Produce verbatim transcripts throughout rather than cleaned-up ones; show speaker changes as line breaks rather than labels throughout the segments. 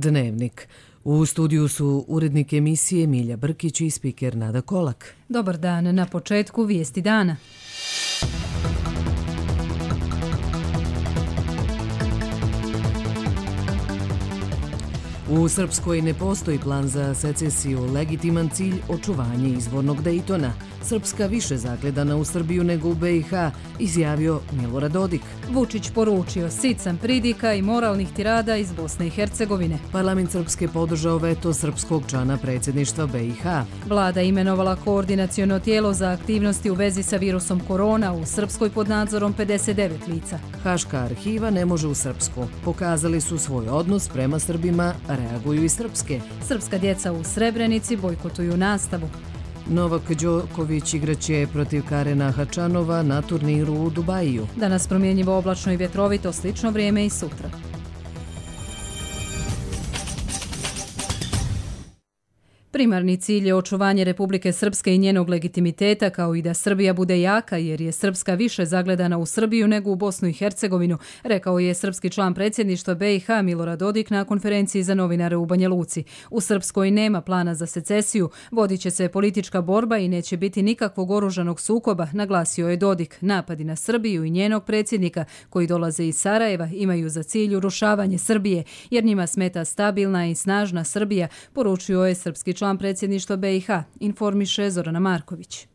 Dnevnik. U studiju su urednik emisije Milja Brkić i spiker Nada Kolak.
Dobar dan, na početku vijesti dana. U Srpskoj ne postoji plan za secesiju, legitiman cilj očuvanje izvornog Dejtona. Srpska više zagledana u Srbiju nego u be i ha, izjavio Milorad Dodik. Vučić poručio sican pridika i moralnih tirada iz Bosne i Hercegovine.
Parlament Srpske podržao veto srpskog člana predsjedništva be i ha.
Vlada imenovala koordinaciono tijelo za aktivnosti u vezi sa virusom korona, u Srpskoj pod nadzorom pedeset devet lica.
Haška arhiva ne može u Srpsku. Pokazali su svoj odnos prema Srbima, reaguju i srpske.
Srpska djeca u Srebrenici bojkotuju nastavu.
Novak Đoković igraće protiv Karena Hačanova na turniru u Dubaju.
Danas promjenjivo oblačno i vjetrovito, slično vrijeme i sutra. Primarni cilj je očuvanje Republike Srpske i njenog legitimiteta, kao i da Srbija bude jaka, jer je Srpska više zagledana u Srbiju nego u Bosnu i Hercegovinu, rekao je srpski član predsjedništva be i ha Milorad Dodik na konferenciji za novinare u Banja Luci. U Srpskoj nema plana za secesiju, vodit će se politička borba i neće biti nikakvog oružanog sukoba, naglasio je Dodik. Napadi na Srbiju i njenog predsjednika, koji dolaze iz Sarajeva, imaju za cilj urušavanje Srbije, jer njima smeta stabilna i snažna Srbija, poručio je srpski član član predsjedništva be i ha, informiše Zorana Marković.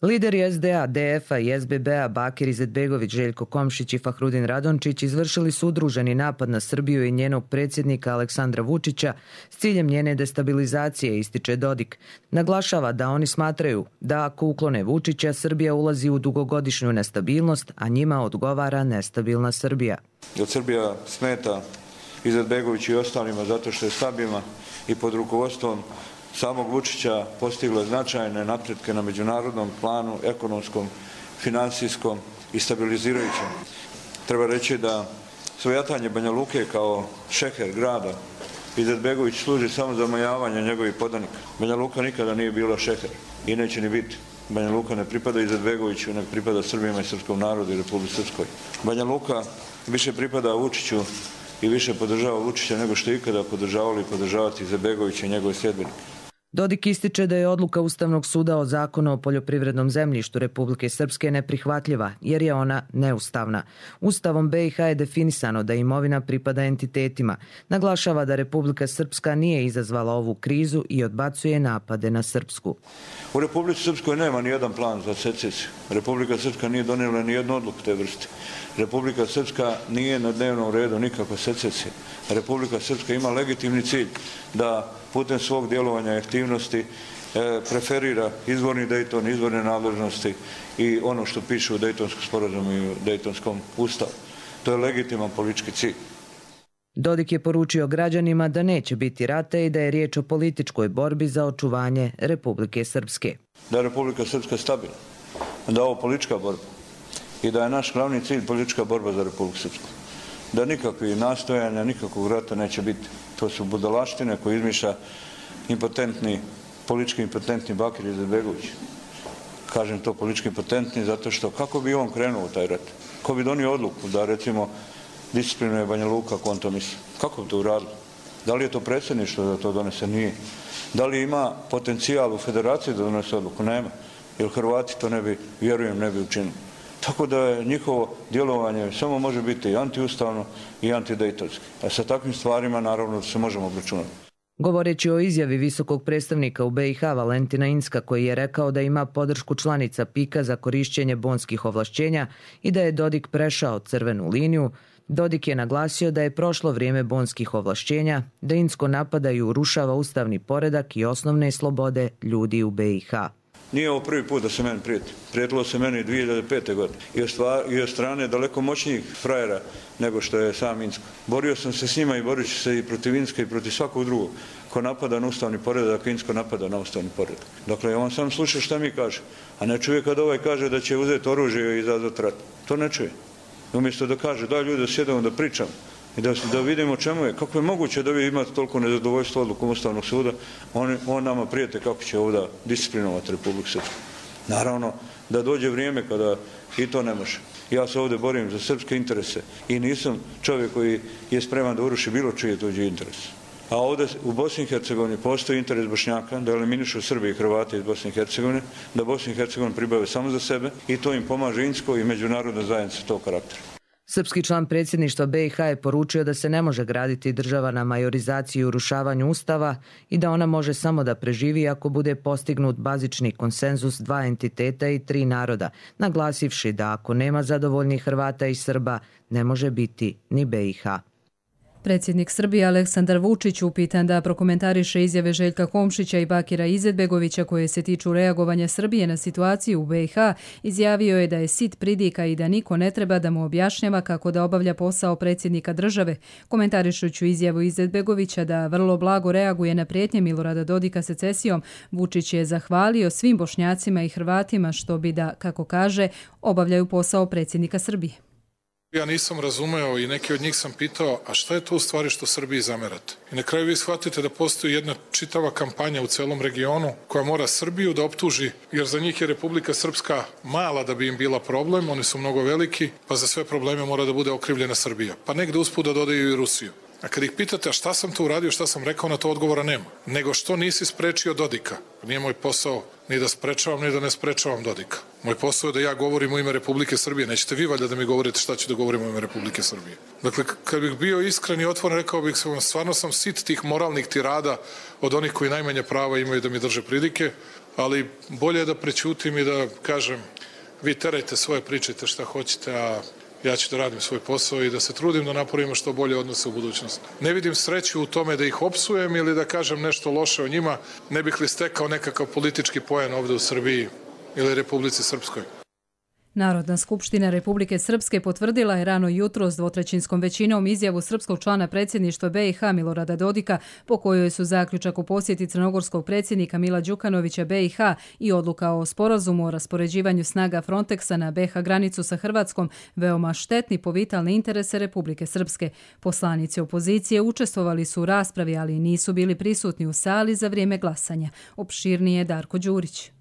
Lideri es de a, de ef a i es be be-a Bakir Izetbegović, Željko Komšić i Fahrudin Radončić izvršili su udruženi napad na Srbiju i njenog predsjednika Aleksandra Vučića s ciljem njene destabilizacije, ističe Dodik. Naglašava da oni smatraju da ako uklone Vučića, Srbija ulazi u dugogodišnju nestabilnost, a njima odgovara nestabilna Srbija.
Jer Srbija smeta Izetbegović i ostalima zato što je stabilna i pod rukovodstvom samog Vučića postigla značajne napretke na međunarodnom planu, ekonomskom, finansijskom i stabilizirajućem. Treba reći da svojatanje Banja Luke kao šeher grada Izetbegović služi samo za omajavanje njegovih podanika. Banja Luka nikada nije bila šeher i neće ni biti. Banja Luka ne pripada Izetbegoviću, nego pripada Srbima i srpskom narodu i Republici Srpskoj. Banja Luka više pripada Vučiću i više podržava Vučića nego što je ikada podržavali i podržavati Izetbegovića i njegove sljedbenike.
Dodik ističe da je odluka Ustavnog suda o zakonu o poljoprivrednom zemljištu Republike Srpske neprihvatljiva, jer je ona neustavna. Ustavom be i ha je definisano da imovina pripada entitetima. Naglašava da Republika Srpska nije izazvala ovu krizu i odbacuje napade na Srpsku.
U Republici Srpskoj nema ni jedan plan za secesiju. Republika Srpska nije donijela ni jednu odluku te vrste. Republika Srpska nije na dnevnom redu nikakva secesija. Republika Srpska ima legitimni cilj da putem svog djelovanja i aktivnosti preferira izvorni Dejton, izvorne nadležnosti i ono što piše u Dejtonskom sporazumu i u Dejtonskom ustavu. To je legitiman politički cilj.
Dodik je poručio građanima da neće biti rata i da je riječ o političkoj borbi za očuvanje Republike Srpske.
Da je Republika Srpska stabilna, da je ovo politička borba i da je naš glavni cilj politička borba za Republiku Srpsku. Da nikakvi nastojanja, nikakvog rata neće biti. To su budalaštine koje izmišlja impotentni, politički impotentni Bakir Izetbegović. Kažem to politički impotentni zato što kako bi on krenuo u taj rat? Ko bi donio odluku da recimo disciplinuje Banja Luka, ako on to misli? Kako bi to uradilo? Da li je to predsjedništvo da to donese? Nije. Da li ima potencijal u federaciji da donese odluku? Nema. Jer Hrvati to ne bi, vjerujem, ne bi učinili. Tako da je njihovo djelovanje samo može biti i antiustavno i antidejtonski. A sa takvim stvarima naravno se možemo obračunati.
Govoreći o izjavi visokog predstavnika u be i ha Valentina Inzka, koji je rekao da ima podršku članica pika za korišćenje bonskih ovlašćenja i da je Dodik prešao crvenu liniju, Dodik je naglasio da je prošlo vrijeme bonskih ovlašćenja, da Inzko napada i urušava ustavni poredak i osnovne slobode ljudi u be i ha.
Nije ovo prvi put da se meni prijeti. Prijetilo se meni dvije hiljade pete. godine. I od strane daleko moćnijih frajera nego što je sam Inzko. Borio sam se s njima i borit ću se i protiv Inzka i protiv svakog drugog ko napada na ustavni poredak, ako Inzko napada na ustavni poredak. Dakle, on sam sluša šta mi kaže, a ne čuje kad ovaj kaže da će uzeti oružje i izazvati rat. To ne čuje. Umjesto da kaže, daj ljudi da sjedemo da pričamo i da, da vidimo čemu je, kako je moguće da vi imate toliko nezadovoljstva odlukom Ustavnog suda, on, on nama prijete kako će ovdje disciplinovati Republiku Srpsku. Naravno da dođe vrijeme kada i to ne može. Ja se ovdje borim za srpske interese i nisam čovjek koji je spreman da uruši bilo čije tuđe interese. A ovdje u Bosni i Hercegovini postoji interes Bošnjaka da eliminišu Srbi i Hrvate iz Bosne i Hercegovine, da Bosnu i Hercegovinu pribave samo za sebe i to im pomaže Insko i međunarodna zajednica tog karaktera.
Srpski član predsjedništva B i H je poručio da se ne može graditi država na majorizaciji i urušavanju ustava i da ona može samo da preživi ako bude postignut bazični konsenzus dva entiteta i tri naroda, naglasivši da ako nema zadovoljnih Hrvata i Srba, ne može biti ni B i H.
Predsjednik Srbije Aleksandar Vučić, upitan da prokomentariše izjave Željka Komšića i Bakira Izetbegovića koje se tiču reagovanja Srbije na situaciju u B i H, izjavio je da je sit pridika i da niko ne treba da mu objašnjava kako da obavlja posao predsjednika države. Komentarišuću izjavu Izetbegovića da vrlo blago reaguje na prijetnje Milorada Dodika secesijom, Vučić je zahvalio svim Bošnjacima i Hrvatima što bi da, kako kaže, obavljaju posao predsjednika Srbije.
Ja nisam razumeo i neki od njih sam pitao, a šta je to u stvari što Srbiji zamerate? I na kraju vi shvatite da postoji jedna čitava kampanja u celom regionu koja mora Srbiju da optuži, jer za njih je Republika Srpska mala da bi im bila problem, oni su mnogo veliki, pa za sve probleme mora da bude okrivljena Srbija. Pa negde usput da dodaju i Rusiju. A kad ih pitate, a šta sam to uradio, šta sam rekao, na to odgovora nema. Nego što nisi sprečio Dodika? Nije moj posao ni da sprečavam, ni da ne sprečavam Dodika. Moj posao je da ja govorim u ime Republike Srbije. Nećete vi valjda da mi govorite šta ću da govorim u ime Republike Srbije. Dakle, kad bih bio iskren i otvoren, rekao bih se vam, stvarno sam sit tih moralnih tirada od onih koji najmanje prava imaju da mi drže pridike, ali bolje je da prećutim i da kažem, vi terajte svoje, pričajte šta hoćete, a ja ću da radim svoj posao i da se trudim da napravimo što bolje odnose u budućnosti. Ne vidim sreću u tome da ih opsujem ili da kažem nešto loše o njima, ne bih li stekao nekakav politički poen ovde u Srbiji ili Republici Srpskoj.
Narodna skupština Republike Srpske potvrdila je rano jutro s dvotrećinskom većinom izjavu srpskog člana predsjedništva B i H Milorada Dodika, po kojoj su zaključak o posjeti crnogorskog predsjednika Mila Đukanovića B i H i odluka o sporazumu o raspoređivanju snaga Frontexa na B i H granicu sa Hrvatskom veoma štetni po vitalne interese Republike Srpske. Poslanici opozicije učestvovali su u raspravi, ali nisu bili prisutni u sali za vrijeme glasanja. Opširnije Darko Đurić.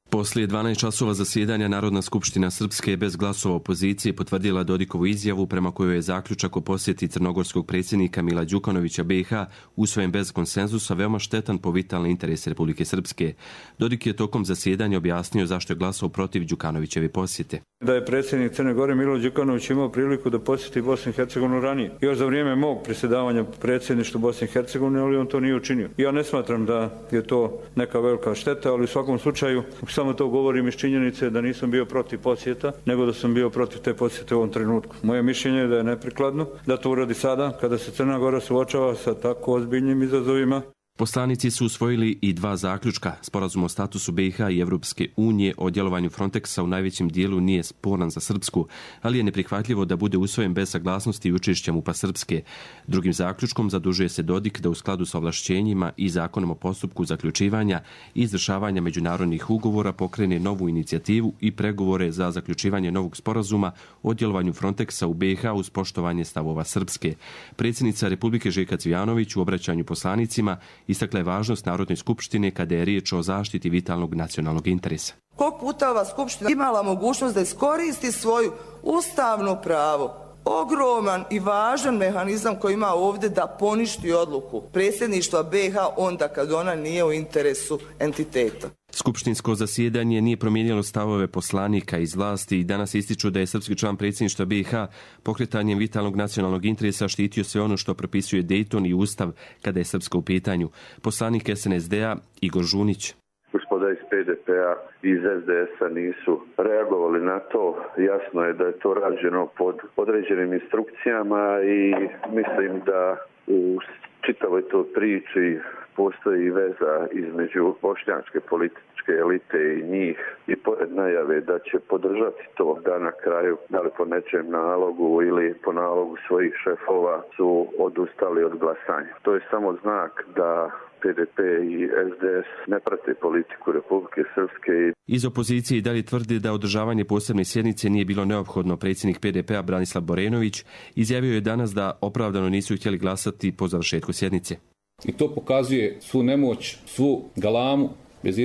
Poslije dvanaest časova zasjedanja Narodna skupština Srpske bez glasova opozicije potvrdila Dodikovu izjavu prema kojoj je zaključak o posjeti crnogorskog predsjednika Mila Đukanovića B i H usvojen bez konsenzusa veoma štetan po vitalne interese Republike Srpske. Dodik je tokom zasjedanja objasnio zašto je glasao protiv Đukanovićeve posjete.
Da je predsjednik Crne Gore Milo Đukanović imao priliku da posjeti Bosnu i Hercegovinu ranije. Još za vrijeme mog predsjedavanja predsjedništva Bosne i Hercegovine, ali on to nije učinio. Ja ne smatram da je to neka velika šteta, ali u svakom slučaju samo to govorim iz činjenice da nisam bio protiv posjeta, nego da sam bio protiv te posjete u ovom trenutku. Moje mišljenje je da je neprikladno da to uradi sada, kada se Crna Gora suočava sa tako ozbiljnim izazovima.
Poslanici su usvojili i dva zaključka. Sporazum o statusu B i H i Evropske unije o djelovanju Frontexa u najvećem dijelu nije sporan za Srpsku, ali je neprihvatljivo da bude usvojen bez saglasnosti i učešća MUP-a Srpske. Drugim zaključkom zadužuje se Dodik da u skladu sa ovlašćenjima i zakonom o postupku zaključivanja i izvršavanja međunarodnih ugovora pokrene novu inicijativu i pregovore za zaključivanje novog sporazuma o djelovanju Frontexa u B i H uz poštovanje stavova Srpske. Predsjednica Republike Željka Cvijanović u obraćanju poslanicima istakla je važnost Narodne skupštine kada je riječ o zaštiti vitalnog nacionalnog interesa.
Koliko puta ova skupština imala mogućnost da iskoristi svoju ustavno pravo, ogroman i važan mehanizam koji ima ovdje da poništi odluku predsjedništva B i H onda kad ona nije u interesu entiteta.
Skupštinsko zasjedanje nije promijenilo stavove poslanika iz vlasti i danas ističu da je srpski član predsjedništva B i H pokretanjem vitalnog nacionalnog interesa štitio sve ono što propisuje Dejton i Ustav kada je Srpska u pitanju. Poslanik S N S D-a Igor Žunić.
Gospoda iz P D P-a i iz S D S-a nisu reagovali na to. Jasno je da je to rađeno pod određenim instrukcijama i mislim da u čitavoj toj priči postoji veza između bošnjačke političke elite i njih i pored najave da će podržati to da na kraju, da li po nečem nalogu ili po nalogu svojih šefova su odustali od glasanja. To je samo znak da P D P i S D S ne prate politiku Republike Srpske.
Iz opozicije i dalje tvrdi da održavanje posebne sjednice nije bilo neophodno. Predsjednik P D P-a Branislav Borenović izjavio je danas da opravdano nisu htjeli glasati po završetku sjednice.
I to pokazuje svu nemoć, svu galamu, bez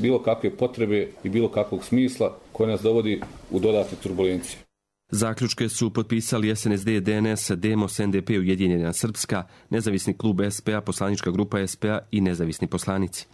bilo kakve potrebe i bilo kakvog smisla koja nas dovodi u dodatne turbulencije.
Zaključke su potpisali S N S D, D N S, Demos, N D P, Ujedinjena Srpska, Nezavisni klub S P A, Poslanička grupa S P A i nezavisni poslanici.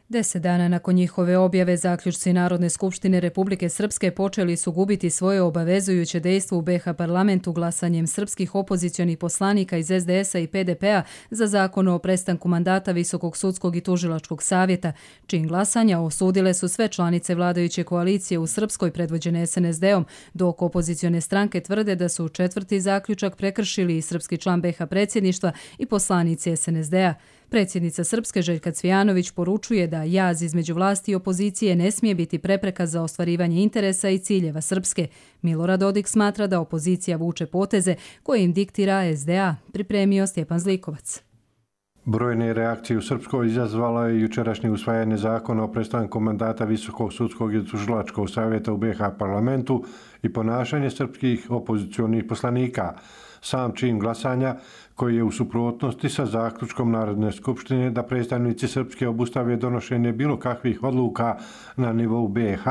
Deset dana nakon njihove objave, zaključci Narodne skupštine Republike Srpske počeli su gubiti svoje obavezujuće dejstvo u B iH parlamentu glasanjem srpskih opozicionih poslanika iz S D S-a i P D P-a za zakon o prestanku mandata Visokog sudskog i tužilačkog savjeta, čin glasanja osudile su sve članice vladajuće koalicije u Srpskoj predvođene S N S D-om, dok opozicione stranke tvrde da su četvrti zaključak prekršili i srpski član B iH predsjedništva i poslanici S N S D-a. Predsjednica Srpske Željka Cvijanović poručuje da jaz između vlasti i opozicije ne smije biti prepreka za ostvarivanje interesa i ciljeva Srpske. Milorad Dodik smatra da opozicija vuče poteze koje im diktira S D A, pripremio Stjepan Zlikovac.
Brojne reakcije u Srpskoj izazvalo je jučerašnje usvajanje zakona o prestanku mandata Visokog sudskog i tužilačkog savjeta u B iH parlamentu i ponašanje srpskih opozicionih poslanika. Sam čin glasanja, koji je u suprotnosti sa zaključkom Narodne skupštine da predstavnici Srpske obustave donošenje bilo kakvih odluka na nivou B iH,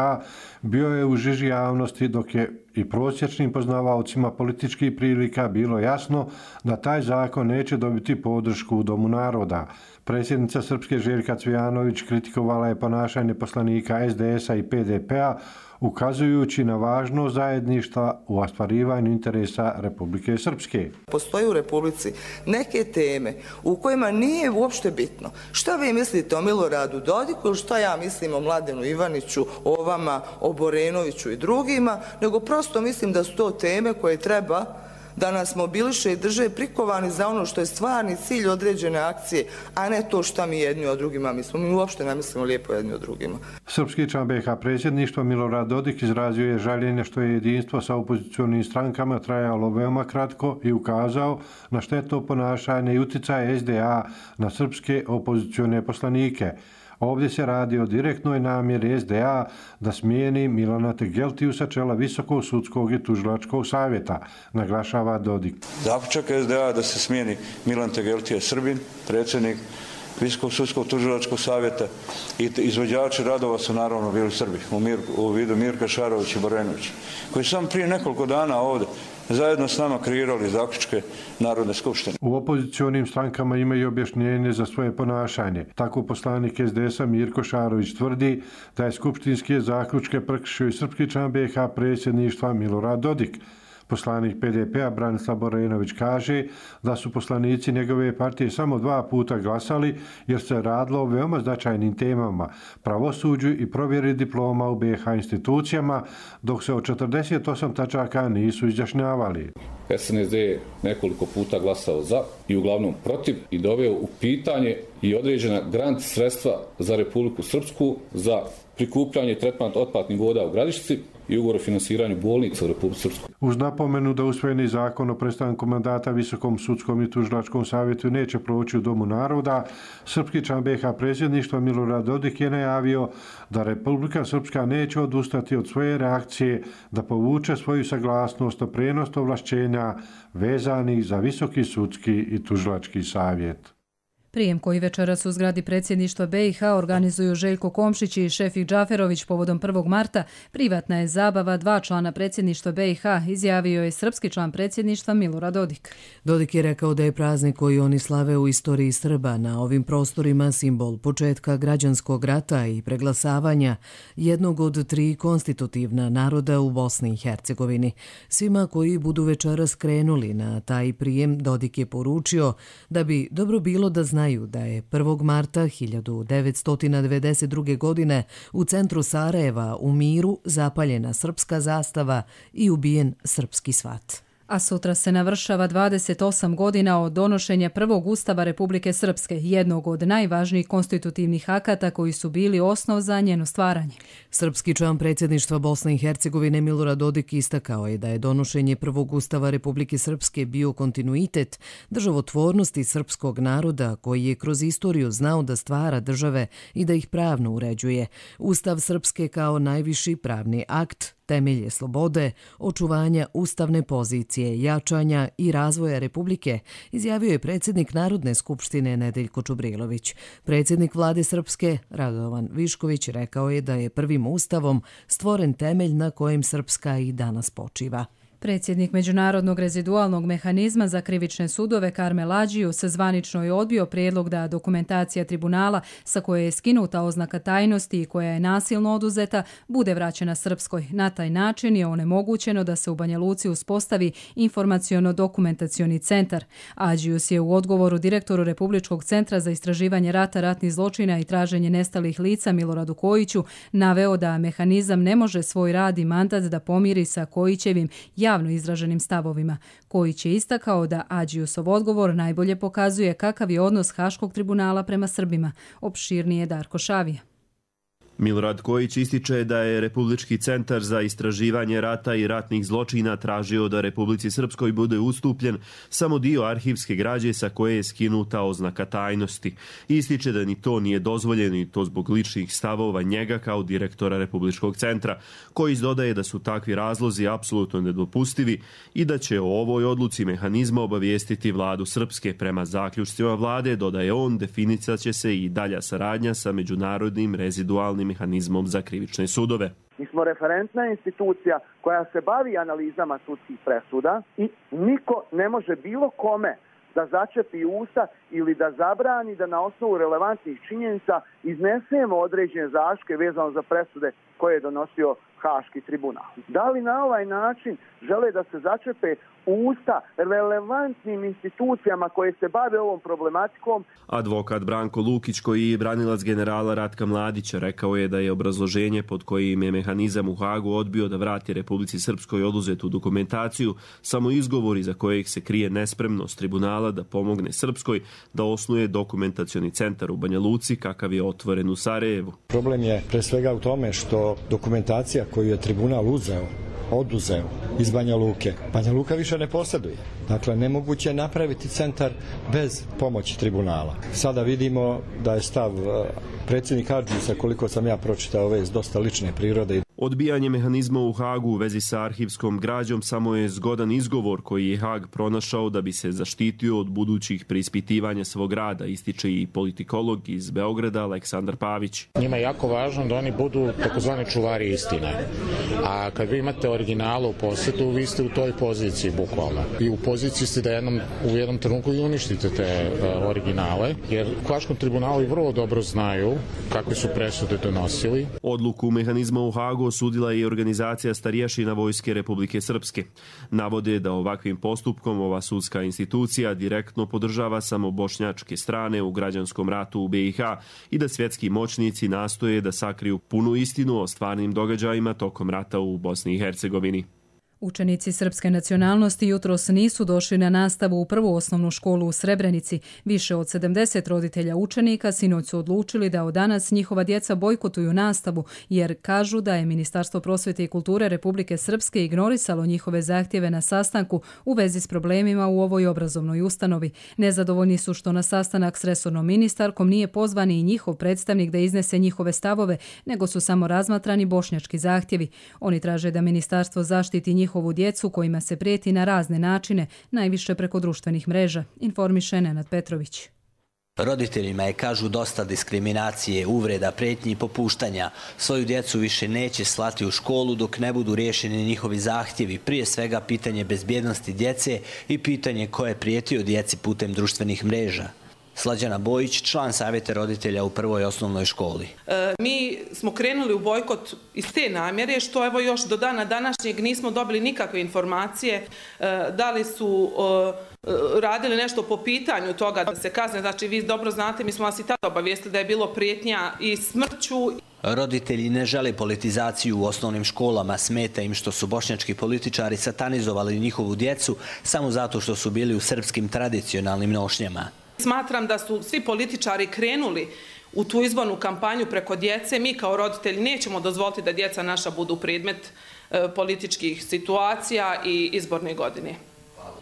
bio je u žiži javnosti, dok je i prosječnim poznavaocima političkih prilika bilo jasno da taj zakon neće dobiti podršku u Domu naroda. Predsjednica Srpske Željka Cvijanović kritikovala je ponašanje poslanika S D S-a i P D P-a, ukazujući na važnost zajedništva u ostvarivanju interesa Republike Srpske.
Postoji u Republici neke teme u kojima nije uopšte bitno šta vi mislite o Miloradu Dodiku ili šta ja mislim o Mladenu Ivaniću, o vama, o Borenoviću i drugima, nego prosto mislim da su to teme koje treba da nas mobiliše i drže prikovani za ono što je stvarni cilj određene akcije, a ne to šta mi jedni o drugima mislimo. Mi uopšte ne mislimo lijepo jedni o drugima.
Srpski član B iH predsjedništva Milorad Dodik izrazio je žaljenje što je jedinstvo sa opozicionim strankama trajalo veoma kratko i ukazao na štetno ponašanje i uticaj S D A na srpske opozicione poslanike. Ovdje se radi o direktnoj namjeri S D A da smijeni Milana Tegeltiju sa čela Visokog sudskog i tužilačkog savjeta, naglašava Dodik.
Zaključak S D A da se smijeni Milan Tegeltija Srbin, predsjednik Visokog sudskog tužilačkog savjeta, i izvođači radova su naravno bili Srbi u, Mir, u vidu Mirka Šarović i Borenović, koji sam prije nekoliko dana ovdje zajedno s nama kreirali zaključke Narodne skupštine.
U opozicionim strankama imaju objašnjenje za svoje ponašanje. Tako poslanik S D S-a Mirko Šarović tvrdi da je skupštinske zaključke prekršio i srpski član B iH predsjedništva Milorad Dodik. Poslanik P D P-a Branislav Borenović kaže da su poslanici njegove partije samo dva puta glasali jer se radilo o veoma značajnim temama, pravosuđu i provjeri diploma u B iH institucijama, dok se od četrdeset osam tačaka nisu izjašnjavali.
S N S D je nekoliko puta glasao za i uglavnom protiv i doveo u pitanje i određena grant sredstva za Republiku Srpsku za prikupljanje i tretman otpadnih voda u Gradišci i ugovor o finansiranju bolnica u Republici Srpskoj.
Uz napomenu da usvojeni zakon o prestanku mandata Visokom sudskom i tužilačkom savjetu neće proći u Domu naroda, srpski član B iH predsjedništva Milorad Dodik je najavio da Republika Srpska neće odustati od svoje reakcije da povuče svoju saglasnost o prenosu ovlašćenja vezanih za Visoki sudski i tužilački savjet.
Prijem koji večeras u zgradi predsjedništva B iH organizuju Željko Komšić i Šefik Džaferović povodom prvog marta, privatna je zabava dva člana predsjedništva B iH, izjavio je srpski član predsjedništva Milorad Dodik.
Dodik je rekao da je praznik koji oni slave u istoriji Srba na ovim prostorima simbol početka građanskog rata i preglasavanja jednog od tri konstitutivna naroda u Bosni i Hercegovini. Svima koji budu večeras krenuli na taj prijem, Dodik je poručio da bi dobro bilo da znaju da je prvog marta hiljadu devetsto devedeset druge. godine u centru Sarajeva u miru zapaljena srpska zastava i ubijen srpski svat.
A sutra se navršava dvadeset osam godina od donošenja prvog Ustava Republike Srpske, jednog od najvažnijih konstitutivnih akata koji su bili osnov za njeno stvaranje.
Srpski član predsjedništva Bosne i Hercegovine Milorad Dodik istakao je da je donošenje prvog Ustava Republike Srpske bio kontinuitet državotvornosti srpskog naroda koji je kroz istoriju znao da stvara države i da ih pravno uređuje. Ustav Srpske kao najviši pravni akt temelje slobode, očuvanja ustavne pozicije, jačanja i razvoja Republike, izjavio je predsjednik Narodne skupštine Nedeljko Čubrilović. Predsjednik vlade Srpske, Radovan Višković, rekao je da je prvim ustavom stvoren temelj na kojem Srpska i danas počiva.
Predsjednik Međunarodnog rezidualnog mehanizma za krivične sudove Karmel Adžius zvanično je odbio prijedlog da dokumentacija tribunala sa koje je skinuta oznaka tajnosti i koja je nasilno oduzeta bude vraćena Srpskoj. Na taj način je onemogućeno da se u Banja Luci uspostavi informaciono-dokumentacioni centar. Adžius je u odgovoru direktoru Republičkog centra za istraživanje rata, ratnih zločina i traženje nestalih lica Miloradu Kojiću naveo da mehanizam ne može svoj rad i mandat da pomiri sa Kojićevim javno izraženim stavovima. Kojić je istakao da Adžiusov odgovor najbolje pokazuje kakav je odnos Haškog tribunala prema Srbima. Opširnije Darko Šavija.
Milorad Kojić ističe da je Republički centar za istraživanje rata i ratnih zločina tražio da Republici Srpskoj bude ustupljen samo dio arhivske građe sa koje je skinuta oznaka tajnosti. Ističe da ni to nije dozvoljeno i to zbog ličnih stavova njega kao direktora Republičkog centra. Kojić dodaje da su takvi razlozi apsolutno nedopustivi i da će o ovoj odluci mehanizma obavijestiti vladu Srpske. Prema zaključcima vlade, dodaje on, definicat će se i dalja saradnja sa međunarodnim rezidualnim mehanizmom za krivične sudove.
Mi smo referentna institucija koja se bavi analizama sudskih presuda i niko ne može bilo kome da začepi usta ili da zabrani da na osnovu relevantnih činjenica iznesemo određene zaške vezano za presude koje je donosio Haški tribunal. Da li na ovaj način žele da se začepe usta relevantnim institucijama koje se bave ovom problematikom?
Advokat Branko Lukić, koji je branilac generala Ratka Mladića, rekao je da je obrazloženje pod kojim je mehanizam u Hagu odbio da vrati Republici Srpskoj oduzetu dokumentaciju samo izgovor iza kojeg se krije nespremnost tribunala da pomogne Srpskoj da osnuje dokumentacioni centar u Banja Luci kakav je otvoren u Sarajevu.
Problem je pre svega u tome što dokumentacija koju je tribunal uzeo, oduzeo iz Banja Luke, Banja Luka više ne posjeduje. Dakle, nemoguće je napraviti centar bez pomoći tribunala. Sada vidimo da je stav predsjednika Adžiusa, koliko sam ja pročitao, ove iz dosta lične prirode.
Odbijanje mehanizma u Hagu u vezi sa arhivskom građom samo je zgodan izgovor koji je Hag pronašao da bi se zaštitio od budućih preispitivanja svog rada, ističe i politikolog iz Beograda Aleksandar Pavić.
Njima je jako važno da oni budu takozvani čuvari istine. A kad vi imate originala u posjedu, vi ste u toj poziciji bukvalno. I u poziciji ste da jednom, u jednom trenutku i uništite te uh, originale, jer u Haškom tribunalu vrlo dobro znaju kakve su presude donosili.
Odluku mehanizma u Hagu osudila je i organizacija Starijašina Vojske Republike Srpske. Navode da ovakvim postupkom ova sudska institucija direktno podržava samo bošnjačke strane u građanskom ratu u B i H i da svjetski moćnici nastoje da sakriju punu istinu o stvarnim događajima tokom rata u Bosni i Hercegovini.
Učenici srpske nacionalnosti jutros nisu došli na nastavu u prvu osnovnu školu u Srebrenici. Više od sedamdeset roditelja učenika sinoć su odlučili da od danas njihova djeca bojkotuju nastavu, jer kažu da je Ministarstvo prosvjete i kulture Republike Srpske ignorisalo njihove zahtjeve na sastanku u vezi s problemima u ovoj obrazovnoj ustanovi. Nezadovoljni su što na sastanak s resornom ministarkom nije pozvan i njihov predstavnik da iznese njihove stavove, nego su samo razmatrani bošnjački zahtjevi. Oni traže da ministarstvo zaštiti njih njihovu djecu kojima se prijeti na razne načine, najviše preko društvenih mreža, informiše Nenad Petrović.
Roditeljima je, kažu, dosta diskriminacije, uvreda, pretnji i popuštanja. Svoju djecu više neće slati u školu dok ne budu riješeni njihovi zahtjevi, prije svega pitanje bezbjednosti djece i pitanje ko je prijetio djeci putem društvenih mreža. Slađana Bojić, član savjeta roditelja u prvoj osnovnoj školi.
E, mi smo krenuli u bojkot iz te namjere, što evo još do dana današnjeg nismo dobili nikakve informacije e, da li su e, radili nešto po pitanju toga da se kazne. Znači, vi dobro znate, mi smo vas i tada obavijestili da je bilo prijetnja i smrću.
Roditelji ne žele politizaciju u osnovnim školama, smeta im što su bošnjački političari satanizovali njihovu djecu samo zato što su bili u srpskim tradicionalnim nošnjama.
Smatram da su svi političari krenuli u tu izbornu kampanju preko djece. Mi kao roditelji nećemo dozvoliti da djeca naša budu predmet e, političkih situacija i izborne godine.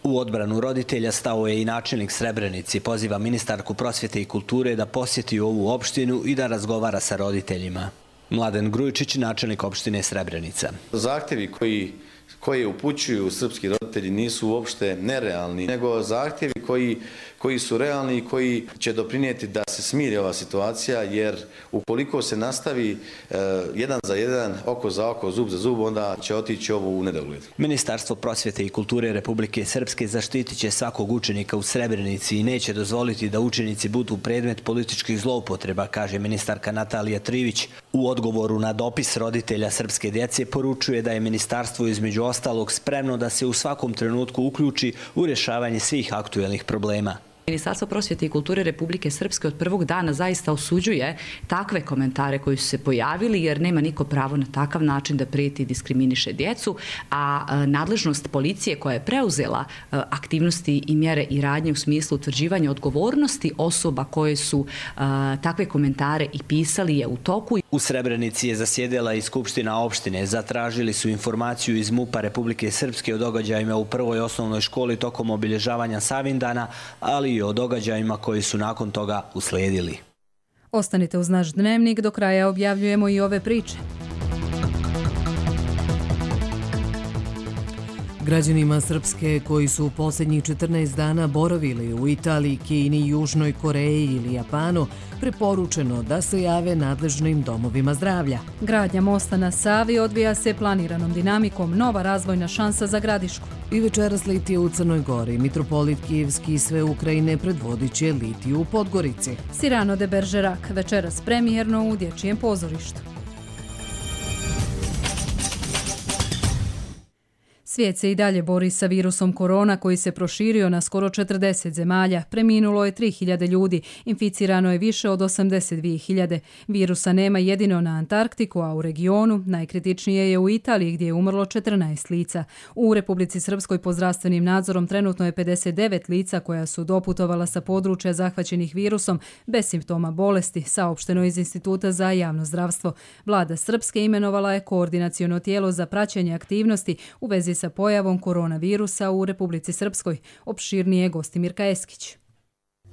U odbranu roditelja stao je i načelnik Srebrenici. Poziva ministarku prosvjete i kulture da posjeti ovu opštinu i da razgovara sa roditeljima. Mladen Grujičić, načelnik opštine Srebrenica.
Zahtjevi koji koje upućuju srpski roditelji nisu uopšte nerealni, nego zahtjevi koji, koji su realni i koji će doprinijeti da se smiri ova situacija, jer ukoliko se nastavi e, jedan za jedan, oko za oko, zub za zub, onda će otići ovo u nedogled.
Ministarstvo prosvjete i kulture Republike Srpske zaštitit će svakog učenika u Srebrenici i neće dozvoliti da učenici budu predmet političkih zloupotreba, kaže ministarka Natalija Trivić. U odgovoru na dopis roditelja srpske djece poručuje da je ministarstvo između ostalog spremno da se u svakom trenutku uključi u rješavanje svih aktuelnih problema.
Ministarstvo prosvjete i kulture Republike Srpske od prvog dana zaista osuđuje takve komentare koji su se pojavili, jer nema niko pravo na takav način da prijeti i diskriminiše djecu, a nadležnost policije koja je preuzela aktivnosti i mjere i radnje u smislu utvrđivanja odgovornosti osoba koje su takve komentare i pisali je u toku.
U Srebrenici je zasjedila i Skupština opštine. Zatražili su informaciju iz MUP-a Republike Srpske o događajima u prvoj osnovnoj školi tokom obilježavanja Savindana, ali i o događajima koji su nakon toga uslijedili.
Ostanite uz naš dnevnik, do kraja objavljujemo i ove priče.
Građanima Srpske koji su u posljednjih četrnaest dana boravili u Italiji, Kini, Južnoj Koreji ili Japanu preporučeno da se jave nadležnim domovima zdravlja.
Gradnja mosta na Savi odvija se planiranom dinamikom, nova razvojna šansa za Gradišku.
I večeras litije u Crnoj Gori. Mitropolit Kijevski i sve Ukrajine predvodit će litiju u Podgorici.
Cyrano de Bergerac, večeras premijerno u dječjem pozorištu. Svijet se i dalje bori sa virusom korona koji se proširio na skoro četrdeset zemalja. Preminulo je tri hiljade ljudi, inficirano je više od osamdeset dvije hiljade. Virusa nema jedino na Antarktiku, a u regionu najkritičnije je u Italiji gdje je umrlo četrnaest lica. U Republici Srpskoj pod zdravstvenim nadzorom trenutno je pedeset devet lica koja su doputovala sa područja zahvaćenih virusom bez simptoma bolesti, saopšteno iz Instituta za javno zdravstvo. Vlada Srpske imenovala je koordinaciono tijelo za praćenje aktivnosti u vezi sa pojavom koronavirusa u Republici Srpskoj. Opširnije Gostimirka Eskić.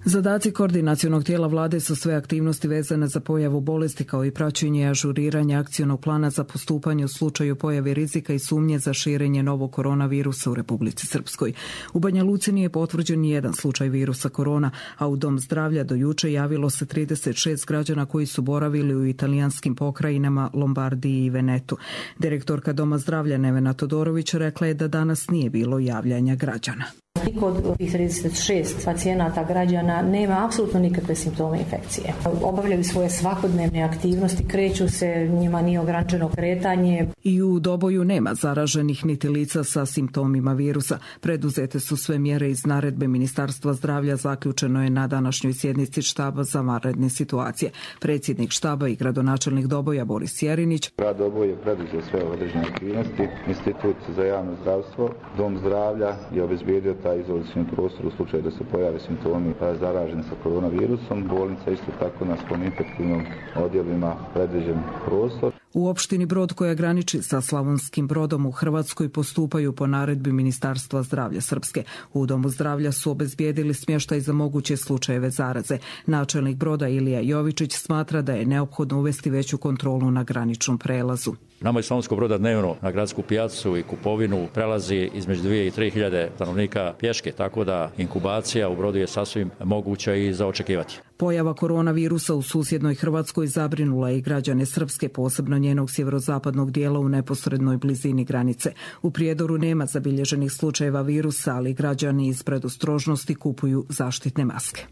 Zadaci koordinacionog tijela vlade su sve aktivnosti vezane za pojavu bolesti kao i praćenje i ažuriranje akcionog plana za postupanje u slučaju pojave rizika i sumnje za širenje novog koronavirusa u Republici Srpskoj. U Banja Luci nije potvrđen ni jedan slučaj virusa korona, a u Dom zdravlja do juče javilo se trideset šest građana koji su boravili u italijanskim pokrajinama Lombardiji i Venetu. Direktorka Doma zdravlja Nevena Todorović rekla je da danas nije bilo javljanja građana.
Niko od ovih trideset šest pacijenata građana nema apsolutno nikakve simptome infekcije. Obavljaju svoje svakodnevne aktivnosti, kreću se, njima nije ograničeno kretanje.
I u Doboju nema zaraženih niti lica sa simptomima virusa. Preduzete su sve mjere iz naredbe Ministarstva zdravlja, zaključeno je na današnjoj sjednici štaba za vanredne situacije. Predsjednik štaba i gradonačelnik Doboja Boris Jerinić.
Grad Doboj je preduzeo sve određene aktivnosti. Institut za javno zdravstvo, Dom zdravlja je obezbijedio taj izolacioni prostor u slučaju da se pojave simptomi zaraženi sa koronavirusom. Bolnica isto tako na svom infektivnom odjelima predviđen prostor.
U opštini Brod koja graniči sa Slavonskim Brodom u Hrvatskoj postupaju po naredbi Ministarstva zdravlja Srpske. U Domu zdravlja su obezbijedili smještaj za moguće slučajeve zaraze. Načelnik Broda Ilija Jovičić smatra da je neophodno uvesti veću kontrolu na graničnom prelazu.
Nama iz Slavonskog Broda dnevno na gradsku pijacu i kupovinu prelazi između dvije i tri hiljade stanovnika pješke, tako da inkubacija u Brodu je sasvim moguća i za očekivati.
Pojava koronavirusa u susjednoj Hrvatskoj zabrinula i građane Srpske, posebno njenog sjeverozapadnog dijela u neposrednoj blizini granice. U Prijedoru nema zabilježenih slučajeva virusa, ali građani iz predostrožnosti kupuju zaštitne maske.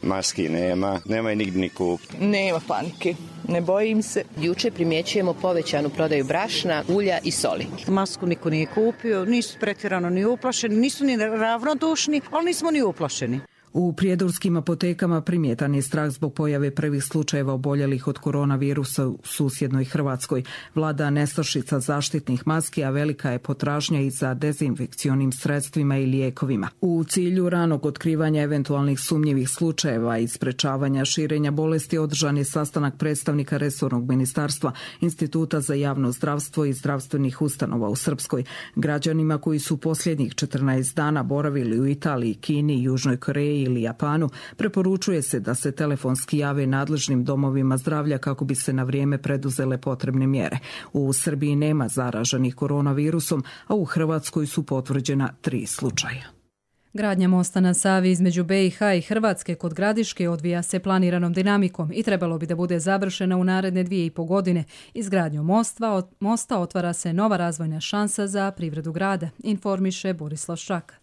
Maski nema, nema i nigdje ni kupiti.
Nema panike, ne bojim se.
Juče primjećujemo povećanu prodaju brašna, ulja i soli.
Masku niko nije kupio, nisu pretjerano ni uplašeni, nisu ni ravnodušni, ali nismo ni uplašeni.
U prijedorskim apotekama primjetan je strah zbog pojave prvih slučajeva oboljelih od koronavirusa u susjednoj Hrvatskoj. Vlada nestašica zaštitnih maski, a velika je potražnja i za dezinfekcionim sredstvima i lijekovima. U cilju ranog otkrivanja eventualnih sumnjivih slučajeva i sprečavanja širenja bolesti održan je sastanak predstavnika resornog ministarstva, Instituta za javno zdravstvo i zdravstvenih ustanova u Srpskoj. Građanima koji su posljednjih četrnaest dana boravili u Italiji, Kini, Južnoj Koreji
ili Japanu, preporučuje se da se telefonski jave nadležnim domovima zdravlja kako bi se na vrijeme preduzele potrebne mjere. U Srbiji nema zaraženih koronavirusom, a u Hrvatskoj su potvrđena tri slučaja.
Gradnja mosta na Savi između be i ha i Hrvatske kod Gradiške odvija se planiranom dinamikom i trebalo bi da bude završena u naredne dvije i po godine. Izgradnjom mosta, mosta otvara se nova razvojna šansa za privredu grada, informiše Borislav Ščak.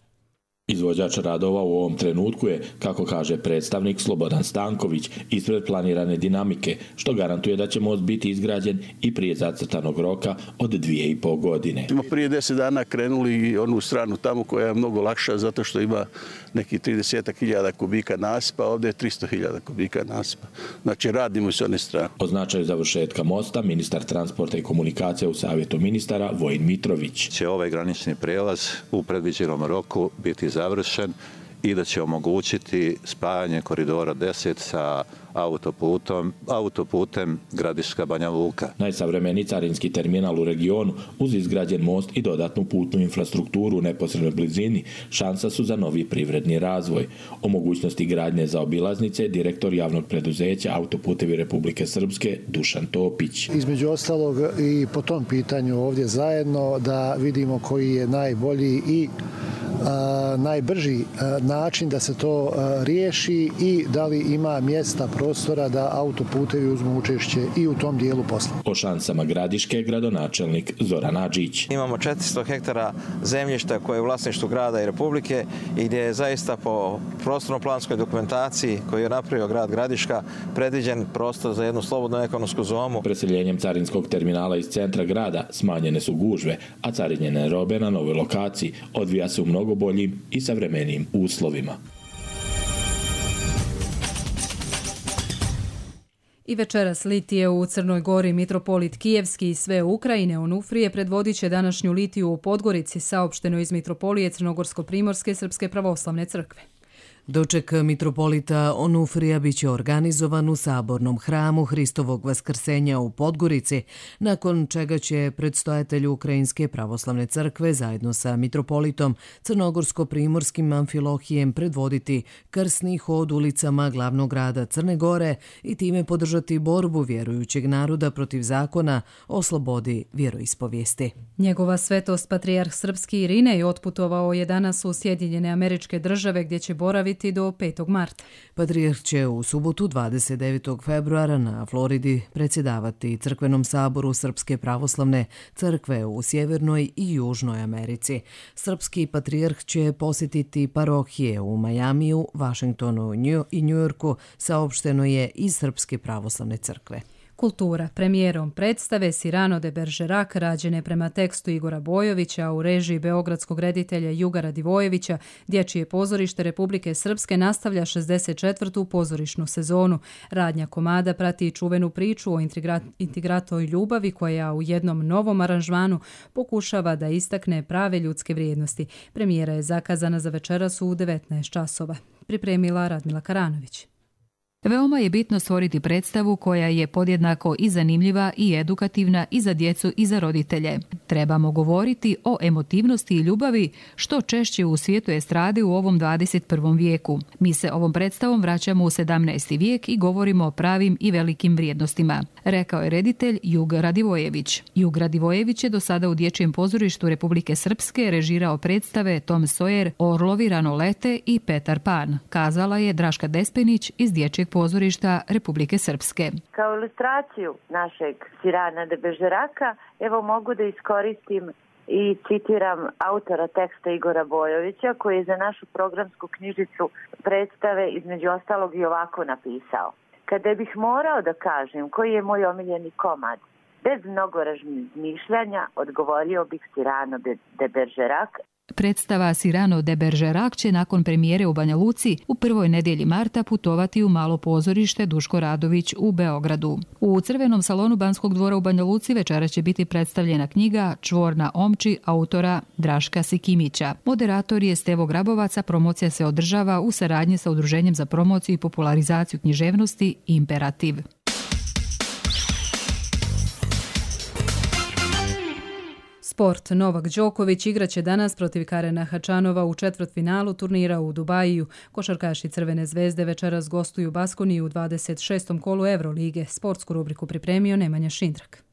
Izvođač radova u ovom trenutku je, kako kaže predstavnik Slobodan Stanković, ispred planirane dinamike, što garantuje da će most biti izgrađen i prije zacrtanog roka od dvije i pol godine.
Smo prije deset dana krenuli onu stranu tamo koja je mnogo lakša zato što ima neki trideset hiljada kubika nasipa, ovdje je tristo hiljada kubika nasipa. Znači radimo s one strane.
O značaju završetka mosta ministar transporta i komunikacija u Savjetu ministara Vojin Mitrović.
Će ovaj granični prijelaz u predviđenom roku biti završen i da će omogućiti spajanje koridora deset sa autoputom, autoputem Gradiška Banja Luka.
Najsavremeniji carinski terminal u regionu uz izgrađen most i dodatnu putnu infrastrukturu u neposrednoj blizini šansa su za novi privredni razvoj. O mogućnosti gradnje za obilaznice direktor javnog preduzeća Autoputevi Republike Srpske Dušan Topić.
Između ostalog i po tom pitanju ovdje zajedno da vidimo koji je najbolji i a, najbrži a, način da se to a, riješi i da li ima mjesta prostora da autoputevi uzmu učešće i u tom dijelu posla.
O šansama Gradiške gradonačelnik Zoran Adžić.
Imamo četiristo hektara zemljišta koje je u vlasništvu grada i Republike i gdje je zaista po prostorno-planskoj dokumentaciji koju je napravio grad Gradiška predviđen prostor za jednu slobodnu ekonomsku zonu.
Preseljenjem carinskog terminala iz centra grada smanjene su gužve, a carinjene robe na novoj lokaciji odvija se u mnogo boljim i savremenijim uslovima.
I večeras litije u Crnoj Gori mitropolit Kijevski i sve Ukrajine Onufrije predvodit će današnju litiju u Podgorici, saopšteno iz mitropolije Crnogorsko-primorske Srpske pravoslavne crkve.
Doček mitropolita Onufrija biće organizovan u sabornom hramu Hristovog vaskrsenja u Podgorici, nakon čega će predstojatelj Ukrajinske pravoslavne crkve zajedno sa mitropolitom Crnogorsko-primorskim Amfilohijem predvoditi krsni hod ulicama glavnog grada Crne Gore i time podržati borbu vjerujućeg naroda protiv zakona o slobodi vjeroispovijesti.
Njegova svetost patrijarh srpski Irinej otputovao je danas u Sjedinjene Američke Države gdje će boraviti do petog marta.
Patrijarh će u subotu dvadeset devetog februara na Floridi predsjedavati Crkvenom saboru Srpske pravoslavne crkve u Sjevernoj i Južnoj Americi. Srpski patrijarh će posjetiti parohije u Majamiju, Vašingtonu i Njujorku, saopšteno je iz Srpske pravoslavne crkve.
Kultura. Premijerom predstave Cyrano de Bergerac, rađene prema tekstu Igora Bojovića u režiji beogradskog reditelja Juga Radivojevića, Dječje pozorište Republike Srpske nastavlja šezdeset četvrtu pozorišnu sezonu. Radnja komada prati čuvenu priču o integratoj ljubavi koja u jednom novom aranžmanu pokušava da istakne prave ljudske vrijednosti. Premijera je zakazana za večeras u devetnaest časova. Pripremila Radmila Karanović.
Veoma je bitno stvoriti predstavu koja je podjednako i zanimljiva i edukativna i za djecu i za roditelje. Trebamo govoriti o emotivnosti i ljubavi što češće u svijetu estrade u ovom dvadeset prvom vijeku. Mi se ovom predstavom vraćamo u sedamnaesti vijek i govorimo o pravim i velikim vrijednostima, rekao je reditelj Jug Radivojević. Jug Radivojević je do sada u Dječjem pozorištu Republike Srpske režirao predstave Tom Sawyer, Orlovi rano lete i Petar Pan, kazala je Draška Despenić iz Dječjeg pozorišta Republike Srpske.
Kao ilustraciju našeg Cyrana de Bergeraca, evo mogu da iskoristim i citiram autora teksta Igora Bojovića, koji je za našu programsku knjižicu predstave između ostalog i ovako napisao. Kada bih morao da kažem koji je moj omiljeni komad, bez mnogo razmišljanja odgovorio bih Cyrano de Bergerac.
Predstava Cyrano de Bergerac će nakon premijere u Banja Luci u prvoj nedjelji marta putovati u malo pozorište Duško Radović u Beogradu. U Crvenom salonu Banskog dvora u Banja Luci večera će biti predstavljena knjiga Čvor na omči autora Draška Sikimića. Moderator je Stevo Grabovac, a promocija se održava u saradnji sa Udruženjem za promociju i popularizaciju književnosti Imperativ.
Sport. Novak Đoković igraće danas protiv Karena Hačanova u četvrtfinalu turnira u Dubaju. Košarkaši Crvene zvezde večeras gostuju Baskoniju u dvadeset šestom kolu Evrolige. Sportsku rubriku pripremio Nemanja Šindrak.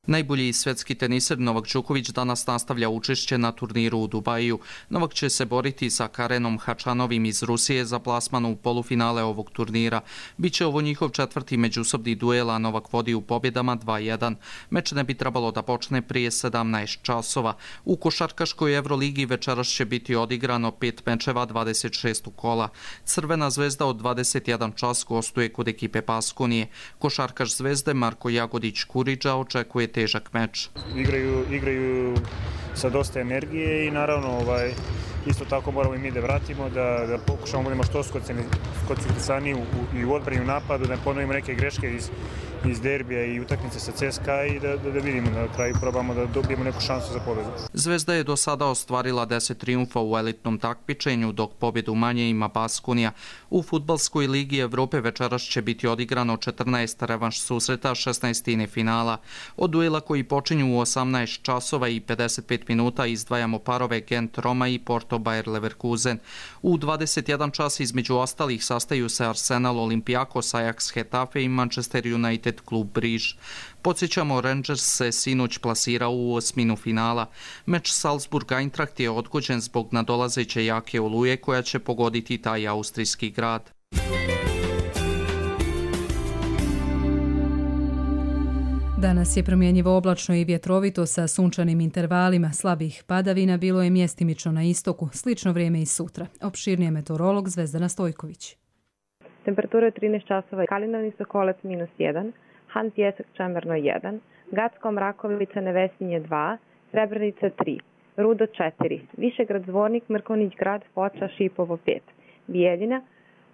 Najbolji svetski teniser Novak Đoković danas nastavlja učešće na turniru u Dubaju. Novak će se boriti sa Karenom Hačanovim iz Rusije za plasman u polufinale ovog turnira. Biće ovo njihov četvrti međusobni duel, a Novak vodi u pobjedama dva jedan. Meč ne bi trebalo da počne prije sedamnaest časova. U košarkaškoj Evroligi večeras će biti odigrano pet mečeva dvadeset šestog kola. Crvena zvezda od dvadeset jedan čas gostuje kod ekipe Baskonije. Košarkaš Zvezde Marko Jagodić-Kuriđa očekuje težak meč.
Igraju, igraju sa dosta energije i naravno ovaj, isto tako moramo i mi da vratimo, da, da pokušamo budemo što skoncentrisani i u odbrani u napadu, da ponovimo neke greške iz, iz derbija i utakmice sa C S K A i da, da, da vidimo na kraju probamo da dobijemo neku šansu za pobjedu.
Zvezda je do sada ostvarila deset trijumfa u elitnom takmičenju, dok pobjedu manje ima Baskonija. U fudbalskoj ligi Evrope večeras će biti odigrano četrnaest revanš susreta šesnaestine finala. Od duela koji počinju u osamnaest časova i pedeset pet minuta izdvajamo parove Gent Roma i Porto Bayer Leverkusen. U dvadeset jedan čas između ostalih sastaju se Arsenal Olympiakos, Ajax Hetafe i Manchester United klub Briž. Podsjećamo, Rangers se sinoć plasirao u osminu finala. Meč Salzburg-Eintracht je odgođen zbog nadolazeće jake oluje koja će pogoditi taj austrijski grad.
Danas je promjenjivo oblačno i vjetrovito sa sunčanim intervalima. Slabih padavina bilo je mjestimično na istoku. Slično vrijeme i sutra. Opširnije meteorolog Zvezdana Stojković.
Temperatura je trinaest časova, Kalinavni Sokolac minus jedan, Han Pjesak Čemerno jedan, Gacko Mrakovica Nevesinje dva, Srebrenica tri, Rudo četiri, Višegrad Zvornik, Mrkonić Grad, Foča, Šipovo pet, Bijeljina,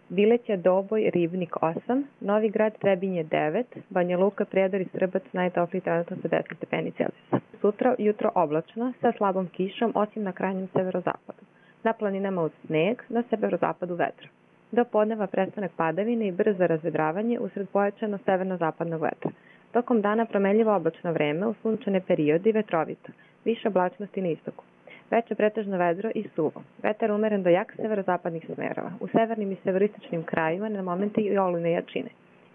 Bileća, Doboj, Ribnik osam, Novi Grad, Trebinje devet, Banja Luka, Prijedor i Srbac najtopliji trenutno sa deset stepeni Celzijusa. Sutra jutro oblačno sa slabom kišom, osim na krajnjem severozapadu. Na planinama uz sneg, na severozapadu vetra. Do podneva prestanak padavine i brzo razvedravanje usred pojačano severno-zapadnog vetra. Tokom dana promenljivo oblačno vreme, u sunčane periode i vetrovito. Više oblačnosti na istoku. Veče pretežno vedro i suvo. Vetar umeren do jak severozapadnih smerova. U severnim i severistočnim krajima na momente i olujne jačine.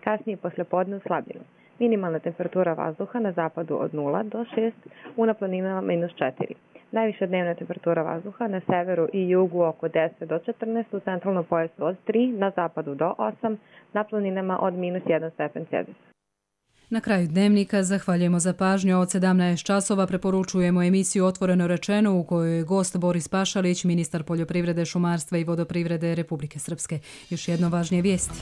Kasnije posle podne uslabljeno. Minimalna temperatura vazduha na zapadu od nula do šest, u na planinama minus četiri. Najviša dnevna temperatura vazduha na severu i jugu oko deset do četrnaest, u centralnom pojasu od tri, na zapadu do osam, na planinama od minus jedan stepen Celzijusa.
Na kraju dnevnika zahvaljujemo za pažnju. Od sedamnaest časova preporučujemo emisiju Otvoreno rečeno u kojoj je gost Boris Pašalić, ministar poljoprivrede, šumarstva i vodoprivrede Republike Srpske. Još jedno važnije vijesti.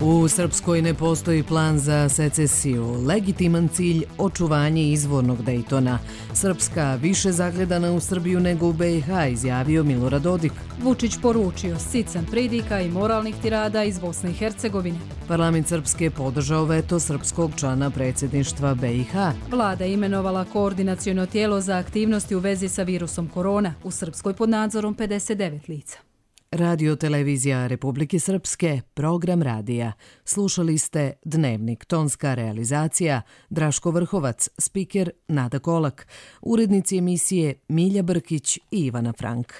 U Srpskoj ne postoji plan za secesiju. Legitiman cilj očuvanje izvornog Dejtona. Srpska više zagledana u Srbiju nego u B i H, izjavio Milorad Dodik.
Vučić poručio sican pridika i moralnih tirada iz Bosne i Hercegovine.
Parlament Srpske podržao veto srpskog člana predsjedništva B i H.
Vlada imenovala koordinaciono tijelo za aktivnosti u vezi sa virusom korona. U Srpskoj pod nadzorom pedeset devet lica.
Radio Televizija Republike Srpske, program radija. Slušali ste Dnevnik, tonska realizacija, Draško Vrhovac, spiker Nada Kolak, urednici emisije Milja Brkić i Ivana Frank.